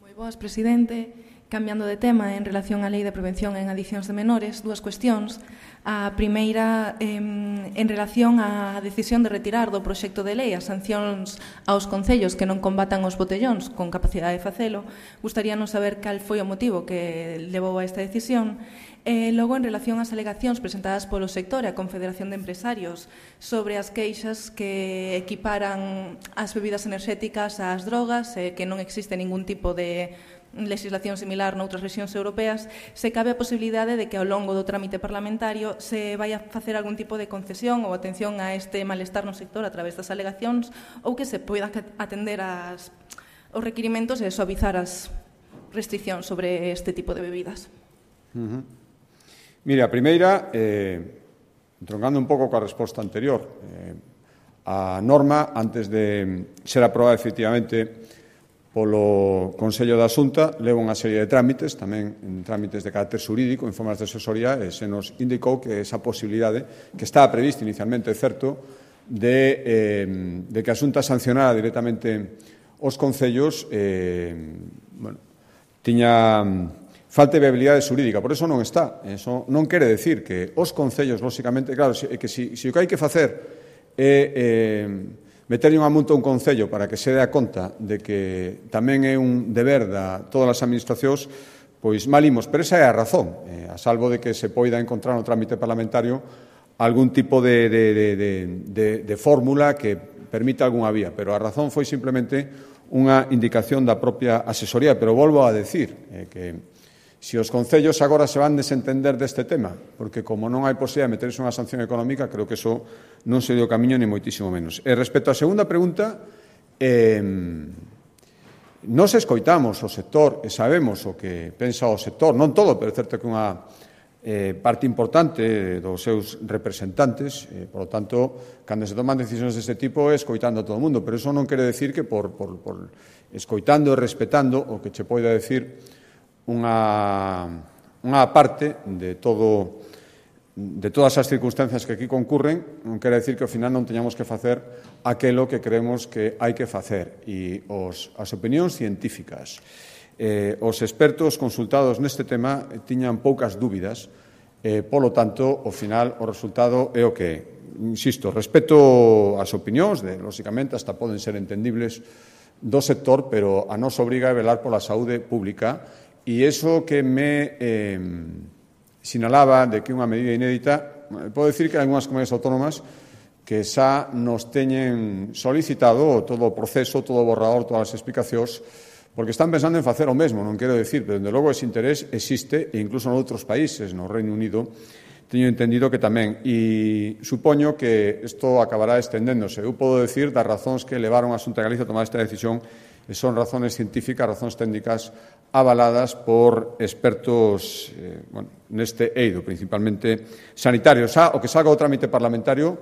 Moi boas, presidente. Cambiando de tema, en relación á Lei de Prevención en Adiccións de Menores, dúas cuestións. A primeira, en relación á decisión de retirar do proxecto de lei as sancións aos concellos que non combatan os botellóns con capacidade de facelo, gustaríanos saber cal foi o motivo que levou a esta decisión. Logo, en relación ás alegacións presentadas polo sector e a Confederación de Empresarios sobre as queixas que equiparan as bebidas enerxéticas ás drogas, que non existe ningún tipo de legislación similar noutras rexións europeas, se cabe a posibilidade de que ao longo do trámite parlamentario se vai a facer algún tipo de concesión ou atención a este malestar no sector a través das alegacións ou que se poida atender os requirimentos e suavizar as restriccións sobre este tipo de bebidas. Mira, a primeira, entroncando un pouco coa resposta anterior, a norma, antes de ser aprobada efectivamente polo Consello da Xunta, leva unha serie de trámites, tamén en trámites de carácter xurídico, en formas de asesoría, e se nos indicou que esa posibilidade, que estaba prevista inicialmente, é certo, de que a Xunta sancionara directamente os concellos, tiña falta de viabilidade xurídica, por eso non está. Eso non quere decir que os concellos, lóxicamente, claro, que se o que hai que facer é meterlle unha multa a un concello para que se dé a conta de que tamén é un deber de todas as administracións, pois malimos, pero esa é a razón, a salvo de que se poida encontrar no trámite parlamentario algún tipo de fórmula que permita algunha vía, pero a razón foi simplemente unha indicación da propia asesoría, pero volvo a decir que se os concellos agora se van desentender deste tema, porque como non hai posibilidade de meterse unha sanción económica, creo que eso non se dio camiño ni moitísimo menos. E respecto á segunda pregunta, nos escoitamos o sector e sabemos o que pensa o sector, non todo, pero é certo que unha parte importante dos seus representantes, por lo tanto, cando se toman decisións deste tipo é escoitando a todo o mundo, pero eso non quere decir que por escoitando e respetando o que che poida decir unha parte de todas as circunstancias que aquí concurren, non quere decir que ao final non teñamos que facer aquelo que creemos que hai que facer. E as opinións científicas, os expertos consultados neste tema tiñan poucas dúbidas, polo tanto, ao final, o resultado é o que é. Insisto, respecto ás opinións, lóxicamente, hasta poden ser entendibles do sector, pero a nos obriga a velar pola saúde pública. E iso que me sinalaba de que unha medida inédita, podo dicir que hai algunhas comunidades autónomas que xa nos teñen solicitado todo o proceso, todo o borrador, todas as explicacións, porque están pensando en facer o mesmo, non quero decir, pero, dende logo, ese interés existe, e incluso noutros países, no Reino Unido, teño entendido que tamén, e supoño que isto acabará estendéndose. Eu podo decir das razóns que levaron a Xunta de Galicia a tomar esta decisión, e son razones científicas, razóns técnicas avaladas por expertos neste eido, principalmente sanitarios. O que salga o trámite parlamentario,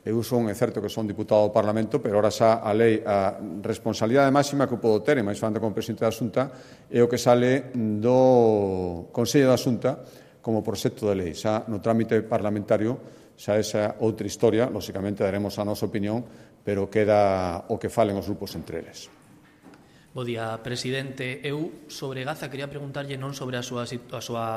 eu son, é certo que son diputado do Parlamento, pero ahora xa a lei, a responsabilidade máxima que eu podo ter, e máis falando como presidente da Xunta, é o que sale do Consello da Xunta como proxecto de lei. Xa no trámite parlamentario, xa esa outra historia, lóxicamente daremos a nosa opinión, pero queda o que falen os grupos entre eles. Bo día, presidente. Eu sobre Gaza quería preguntarlle non sobre a súa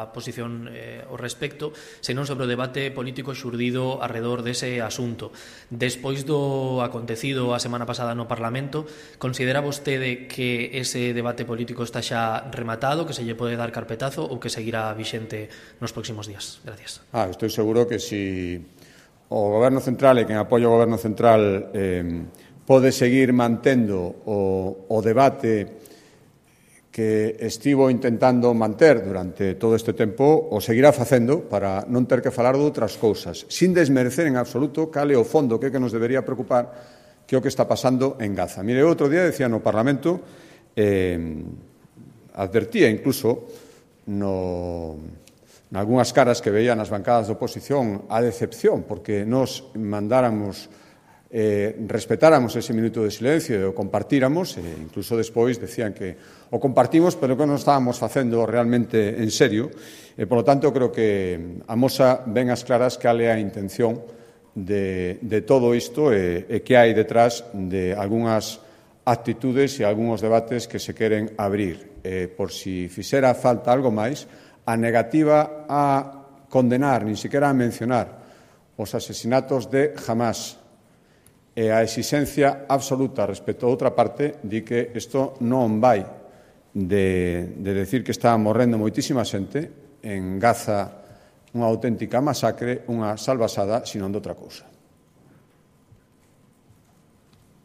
posición ao respecto, senón sobre o debate político xurdido arredor dese asunto. Despois do acontecido a semana pasada no Parlamento, considera vostede que ese debate político está xa rematado, que se lle pode dar carpetazo ou que seguirá vixente nos próximos días? Gracias. Estou seguro que si o Goberno Central e quen apoia o Goberno Central pode seguir mantendo o debate que estivo intentando manter durante todo este tempo, o seguirá facendo para non ter que falar de outras cousas, sin desmerecer en absoluto cal é o fondo que nos debería preocupar, que é o que está pasando en Gaza. Mire, outro día decía no Parlamento, advertía incluso nalgúnas caras que veían as bancadas de oposición a decepción, porque nos mandáramos respetáramos ese minuto de silencio e o compartíramos, e incluso despois decían que o compartimos, pero que non estábamos facendo realmente en serio, e, polo tanto, creo que amosa ben as claras cal é a intención de todo isto e que hai detrás de algunhas actitudes e algúns debates que se queren abrir. Por si fixera falta algo máis, a negativa a condenar, nin sequera a mencionar, os asesinatos de Hamás, e a exigencia absoluta respecto a outra parte di que isto non vai de decir que está morrendo moitísima xente en Gaza, unha auténtica masacre, unha salvasada, sino de outra cousa.